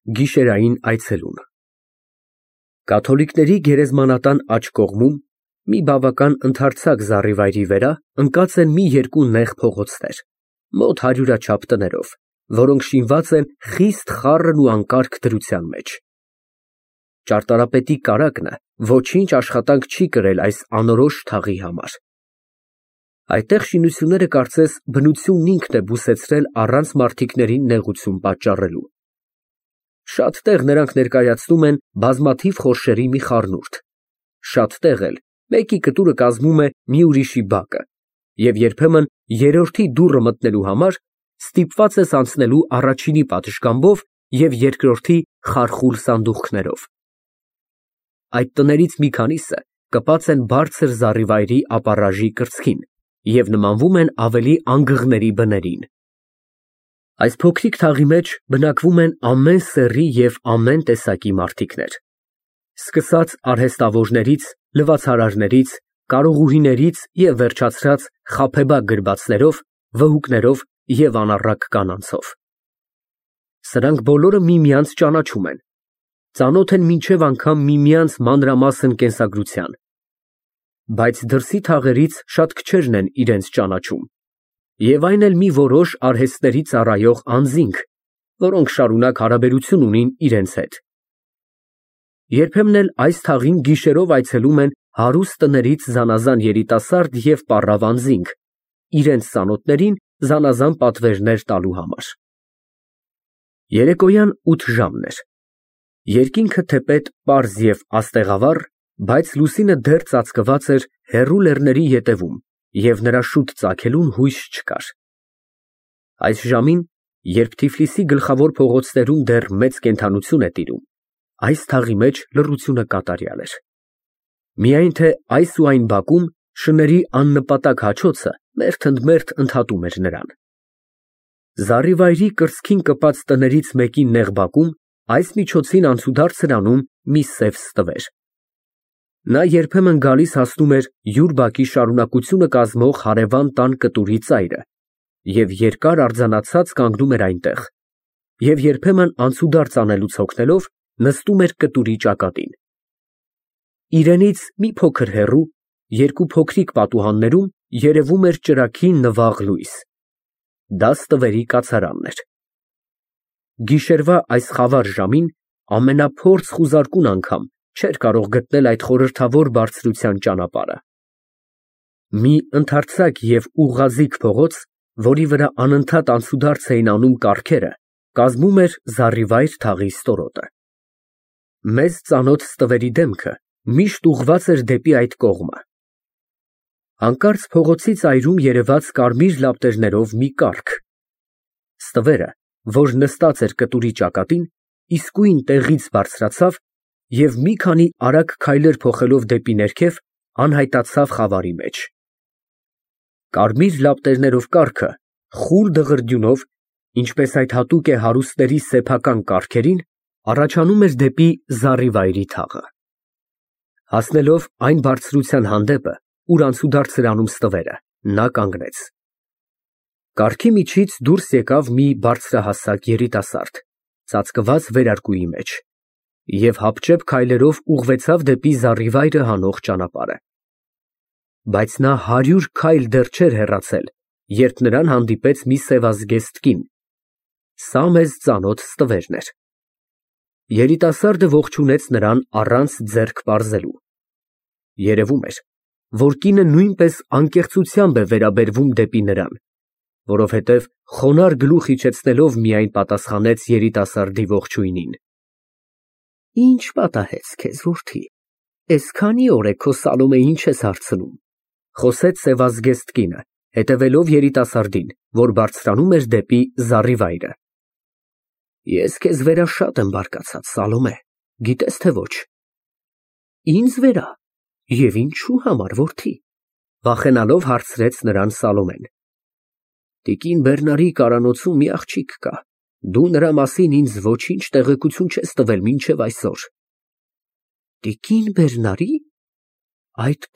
Գիշերային այցելուն Կաթոլիկների գերեզմանատան աջ կողմում, մի բավական ընդարձակ զառիվայրի վրա, ընկած են մի երկու նեղ փողոցներ, մոտ հարյուրաչափ տներով, որոնք շինված են խիստ խառն ու անկարգ դրության մեջ։ Ճարտարապետի կարագն ոչինչ աշխատանք չի կրել այս անորոշ թաղի համար։ Այդտեղ շինությունները կարծես բնությունն ինքն է բուսեցրել առանց մարդիկներին նեղություն պատճառելու։ Շատ տեղ նրանք ներկայացնում են բազմաթիվ խորշերի մի խառնուրդ, շատ տեղ էլ մեկի կտուրը կազմում է մի ուրիշի բակը, և երբեմն երրորդի դուռը մտնելու համար ստիպված ես անցնելու առաջինի պատշգամբով և երկրորդի խարխուլ սանդուղքներով։ Այդ տներից մի քանիսը կպած են բարձր զառիվայրի ապառաժի կրծքին և նմանվում են ավելի անգղների բներին։ Այս փոքրիկ թաղի մեջ բնակվում են ամեն սեռի և ամեն տեսակի մարդիկներ, սկսած արհեստավորներից, լվացարարներից, կարողուհիներից և վերջացրած խաբեբակ գրվածներով, վհուկներով և անառակ կանանցով։ Սրանք բոլորը միմյանց ճանաչում են, ծանոթ են մինչև անգամ միմյանց մանրամասն կենսագրության, բայց դրսի թաղերից շատ քչերն են իրենց ճանաչում, և այն էլ մի որոշ արհեստների ծառայող անձինք, որոնք շարունակ հարաբերություն ունին իրենց հետ։ Երբեմն էլ այս թաղին գիշերով այցելում են հարուստ տներից զանազան երիտասարդ և պառավ անձինք, իրենց ծանոթներին զանազան պատվերներ տալու համար։ Երեկոյան 8 ժամն էր։ Երկինքը թեպետ պարզ և աստեղավառ, բայց լուսինը դեռ ծածկված էր հեռու լեռների ետևում և նրա շուտ ծագելուն հույս չկար։ Այս ժամին, երբ Թիֆլիսի գլխավոր փողոցներում դեռ մեծ կենդանություն է տիրում, այս թաղի մեջ լռությունը կատարյալ էր։ Միայն թե այս ու այն բակում շների աննպատակ հաչոցը մերթ ընդհատում էր նրան։ Զառիվայրի կրծքին կպած տներից մեկի նեղ բակում այս միջոցին անցուդարձ էր անում մի սև ստվեր։ Նա երբեմն գալիս հասնում էր յուր բակի շարունակությունը կազմող հարևան տան կտուրի ծայրը և երկար արձանացած կանգնում էր այնտեղ, և երբեմն անցուդարձ անելուց հոգնելով նստում էր կտուրի ճակատին։ Իրենից մի փոքր հեռու, երկու փոքրիկ պատուհաններում երևում էր ճրագի նվաղ լույս։ Դա ստվերի կացարանն էր։ Գիշերվա այս խավար ժամին ամենափորձ խուզարկուն անգամ չէր կարող գտնել այդ խորհրդավոր բարձրության ճանապարհը։ Մի ընդարձակ և ուղղաձիգ փողոց, որի վրա անընդհատ անցուդարձ էին անում կառքերը, կազմում էր զառիվայր թաղի ստորոտը։ Մեզ ծանոթ ստվերի դեմքը միշտ ուղղված էր դեպի այդ կողմը։ Հանկարծ փողոցի ծայրում երևաց կարմիր լապտերներով մի կառք։ Ստվերը, որ նստած էր կտուրի ճակատին, իսկույն տեղից բարձրացավ և մի քանի արագ քայլեր փոխելով դեպի ներքև, անհայտացավ խավարի մեջ։ Կարմիր լապտերներով կառքը խուլ դղրդյունով, ինչպես այդ հատուկ է հարուստների սեփական կառքերին, առաջանում էր դեպի զառիվայրի թաղը։ Հասնելով այն բարձրության հանդեպը, ուր անցուդարձ էր անում ստվերը, նա կանգնեց։ Կառքի միջից դուրս եկավ մի բարձրահասակ երիտասարդ, ծածկված վերարկուի մեջ, և հապճեպ քայլերով ուղղվեցավ դեպի զառիվայրը հանող ճանապարհը։ Բայց նա 100 քայլ դեռ չէր հեռացել, երբ նրան հանդիպեց մի սևազգեստ կին։ Սա մեզ ծանոթ ստվերն էր։ Երիտասարդը ողջունեց նրան առանց ձեռք պարզելու։ Երևում էր, որ կինը նույնպես անկեղծությամբ է վերաբերվում դեպի նրան, որովհետև խոնարհ գլուխ իջեցնելով միայն պատասխանեց երիտասարդի ողջույնին։ Ինչ պատահեց քեզ, որդի, էսքանի օր է քո Սալոմեյին չես հարցնում, խոսեց սևազգեստ կինը, հետևելով երիտասարդին, որ բարձրանում էր դեպի զառիվայրը։ Ես քեզ վերա շատ եմ բարկացած, Սալոմե, գիտես թե ոչ։ Ինձ վերա, և ինչու համար, որդի, վախենալով հարցրեց նրան Սալոմեն։ Տիկին Բեռնարի կարանոցում մի աղջիկ կա, դու նրա մասին ինձ ոչինչ տեղեկություն չես տվել մինչև այսօր։ Տիկին Բեռնարի՞։ Այդ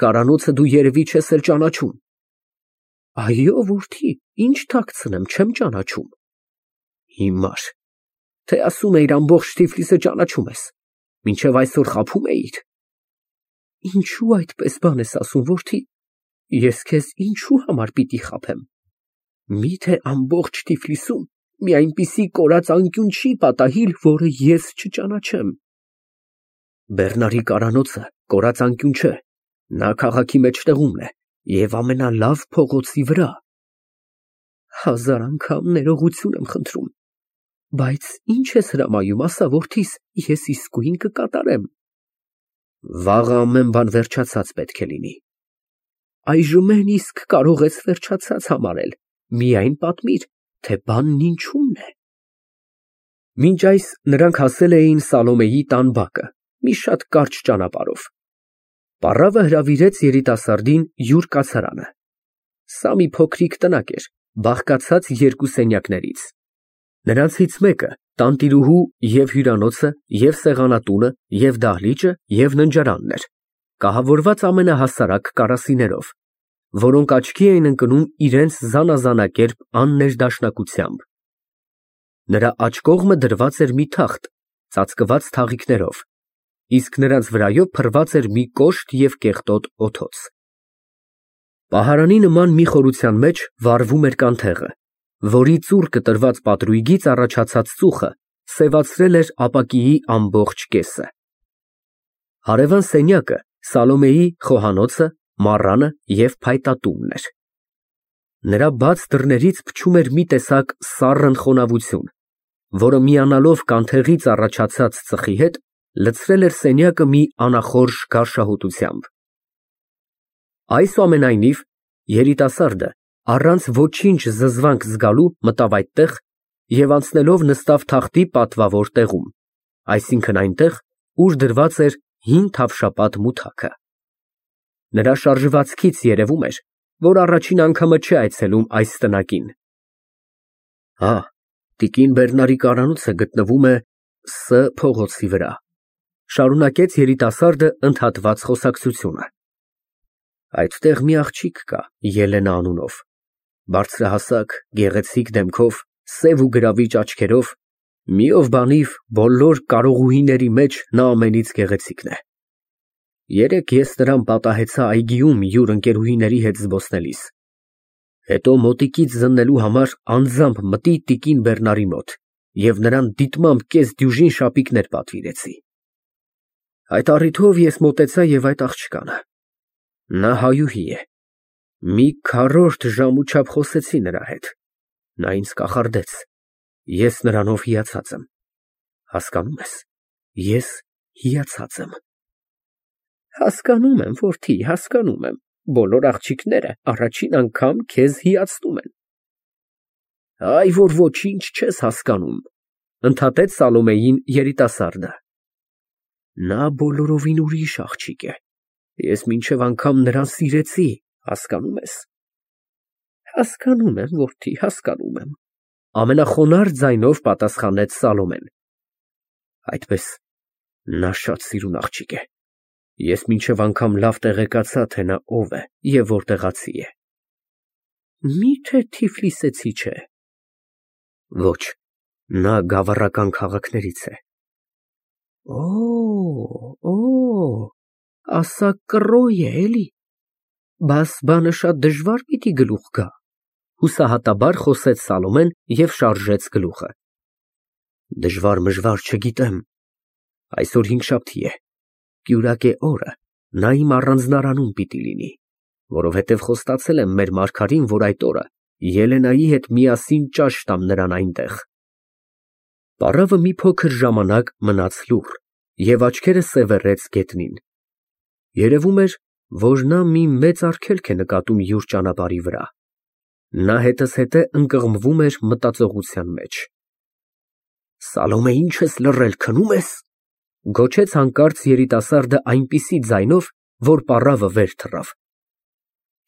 կարանոցը դու երևի չես էլ ճանաչում։ Այո, որդի, ինչ թաքցնեմ, չեմ ճանաչում։ Հիմար, թե ասում էիր ամբողջ Թիֆլիսը ճանաչում ես, մինչև այսօր խաբում էիր։ Ինչու այդպես բան ես ասում, որդի, ես քեզ ինչու համար պիտի խաբեմ։ Միթե ամբողջ Թիֆլիսում մի այնպիսի կորած անկյուն չի պատահիլ, որը ես չճանաչեմ։ Բեռնարի կարանոցը կորած անկյուն չէ, նա քաղաքի մեջտեղումն է և ամենալավ փողոցի վրա։ Հազար անգամ ներողություն եմ խնդրում, բայց ինչ ես հրամայում, ասա որդիս, ես իսկույն կկատարեմ։ Վաղը ամեն բան վերջացած պետք է լինի։ Այժմ են իսկ կարող ես վերջացած համարել, միայն պատմիր, թե բանն ինչումն է։ Մինչ այս նրանք հասել էին Սալոմեի տան բակը, մի շատ կարճ ճանապարհով։ Պառավը հրավիրեց երիտասարդին յուր կացարանը։ Սա մի փոքրիկ տնակ էր, բաղկացած երկու սենյակներից։ Նրանցից մեկը տանտիրուհու և հյուրանոցը, և սեղանատունը, և դահլիճը, և ննջարանն էր, կահավորված ամենահասարակ կարասիներով, որոնք աչքի էին ընկնում իրենց զանազանակերպ աններդաշնակությամբ։ Նրա աջ կողմը դրված էր մի թախտ, ծածկված թաղիքներով, իսկ նրանց վրայով փռված էր մի կոշտ և կեղտոտ օդոց։ Պահարանի նման մի խորության մեջ վառվում էր կանթեղը, որի ծուռ կտրված պատրույգից առաջացած ծուխը սևացրել էր ապակիի ամբողջ կեսը։ Հարևան սենյակը Սալոմեի խոհանոցը, մառանը և փայտատունն էր։ Նրա բաց դռներից փչում էր մի տեսակ սառն խոնավություն, որը միանալով կանթեղից առաջացած ծխի հետ, լցրել էր սենյակը մի անախորժ գարշահոտությամբ։ Այսուամենայնիվ, երիտասարդը առանց ոչինչ զզվանք զգալու մտավ այդտեղ և անցնելով նստավ թախտի պատվավոր տեղում, այսինքն այնտեղ, ուր դրված էր հին թավշապատ մութակը։ Նրա շարժվածքից երևում էր, որ առաջին անգամը չէ այցելում այս տնակին։ Հա, տիկին Բեռնարի կարանոցը գտնվում է Ս փողոցի վրա, շարունակեց երիտասարդը ընդհատված խոսակցությունը։ Այդտեղ մի աղջիկ կա Ելենա անունով, բարձրահասակ, գեղեցիկ դեմքով, սև ու գրավիչ աչքերով, մի ով բանիվ բոլոր կարողուհիների մեջ նա ամենից գեղեցիկն է։ Երեկ ես նրան պատահեցա այգիում յուր ընկերուհիների հետ զբոսնելիս, հետո մոտիկից զննելու համար անձամբ մտի տիկին Բեռնարի մոտ և նրան դիտմամբ կես դյուժին շապիկներ պատվիրեցի։ Այդ առիթով ես մոտեցա և այդ աղջկանը, նա հայուհի է, մի քառորդ ժամ ու չափ խոսեցի նրա հետ, նա ինձ կախարդեց, ես նրանով հիացած եմ, հասկանում ես, ես հիացած եմ։ Հասկանում եմ, որդի, հասկանում եմ, բոլոր աղջիկները առաջին անգամ քեզ հիացնում են։ Այ որ ոչինչ չես հասկանում, ընդհատեց Սալոմեին երիտասարդը։ Նա բոլորովին ուրիշ աղջիկ է, ես մինչև անգամ նրան սիրեցի, հասկանում ես։ Հասկանում եմ, որդի, հասկանում եմ, ամենախոնարհ ձայնով պատասխանեց Սալոմեն։ Այդպես, նա շատ սիրուն աղջիկ է, ես մինչև անգամ լավ տեղեկացա, թե նա ով է և որտեղացի է։ Միթե Թիֆլիսեցի չէ։ Ոչ, նա գավառական քաղաքներից է։ Օ, ասա կռոյ է, էլի։ Բաս բանը շատ դժվար պիտի գլուխ գա, հուսահատաբար խոսեց Սալոմեն և շարժեց գլուխը։ Դժվար չգիտեմ, այսօր հինգշաբթի է, կյուրակե օրը, նա իմ առանձնարանում պիտի լինի, որովհետև խոստացել եմ մեր մարգարին, որ այդ օրը Ելենայի հետ միասին ճաշ տամ նրան այնտեղ։ Պառավը մի փոքր ժամանակ մնաց լուռ և աչքերը սևեռեց գետնին։ Երևում էր, որ նա մի մեծ արգելք է նկատում յուր ճանապարհի վրա։ Նա հետզհետե ընկղմվում էր մտածողության մեջ։ Սալոմե, ինչ ես լռել, քնում ես, գոչեց հանկարծ երիտասարդը այնպիսի ձայնով, որ պառավը վեր թռավ։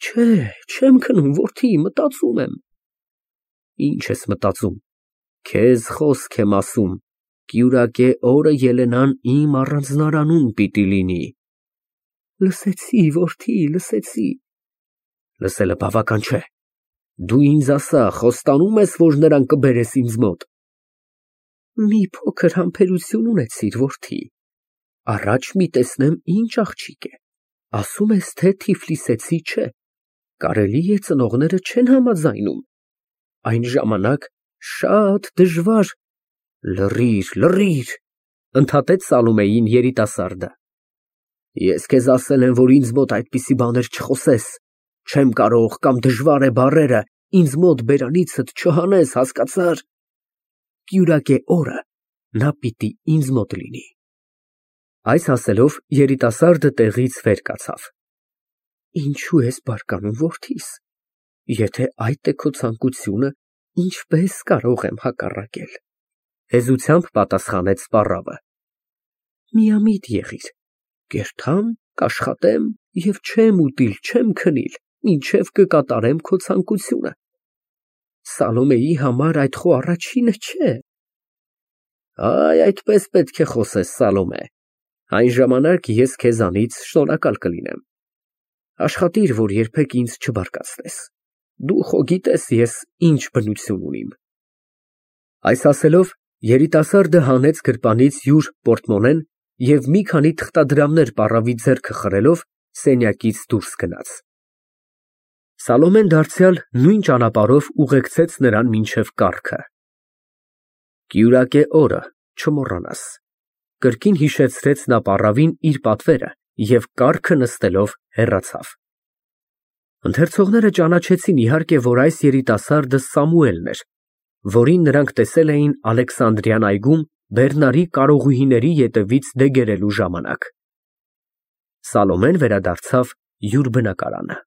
Չէ, չեմ քնում, որդի, մտածում եմ։ Ինչ ես մտածում, քեզ խոսք եմ ասում, կյուրակե օրը Ելենան իմ առանձնարանում պիտի լինի։ Լսեցի, որդի, լսեցի։ Լսելը բավական չէ, դու ինձ ասա, խոստանո՞ւմ ես, որ նրան կբերես ինձ մոտ։ Մի փոքր համբերություն ունեցիր, որդի, առաջ մի տեսնեմ ինչ աղջիկ է, ասում ես, թե Թիֆլիսեցի չէ, կարելի է ծնողները չեն համաձայնում, այն ժամանակ շատ դժվար։ Լռիր, ընդհատեց Սալոմեին երիտասարդը։ Ես քեզ ասել եմ, որ ինձ մոտ այդպիսի բաներ չխոսես, չեմ կարող կամ դժվար է բառերը ինձ մոտ բերանիցդ չհանես, հասկացա՞ր։ Կյուրակե օրը նա պիտի ինձ մոտ լինի։ Այս ասելով երիտասարդը տեղից վեր կացավ։ Ինչու ես բարկանում, որդիս, եթե այդ է քո ցանկությունը, ինչպես կարող եմ հակառակել, հեզությամբ պատասխանեց սպառավը։ Միամիտ եղիր, կերթամ, կաշխատեմ և չեմ ուտիլ, չեմ քնիլ, մինչև կկատարեմ քո ցանկությունը։ Սալոմեի համար այդ խո առաջինը չէ։ Այդպես պետք է խոսես, Սալոմե, այն ժամանակ ես քեզանից շնորհակալ կլինեմ։ Աշխատիր, որ երբեք ինձ չբարկացնես, դու խո գիտես ես ինչ բնություն ունիմ։ Այս ասելով երիտասարդը հանեց գրպանից յուր պորտմոնեն և մի քանի թղթադրամներ պառավի ձեռքը խրելով սենյակից դուրս գնաց։ Սալոմեն դարձյալ նույն ճանապարհով ուղեկցեց նրան մինչև կառքը։ Կյուրակե օրը, չմոռանաս, կրկին հիշեցրեց նա պառավին իր պատվերը և կառքը նստելով հեռացավ։ Ընթերցողները ճանաչեցին իհարկե, որ այս երիտասարդը Սամուելն էր, որին նրանք տեսել էին Ալեքսանդրիան այգում բեռնարի կարողուհիների ետևից դեգերելու ժամանակ։ Սալոմեն վերադարձավ յուր բնակարանը։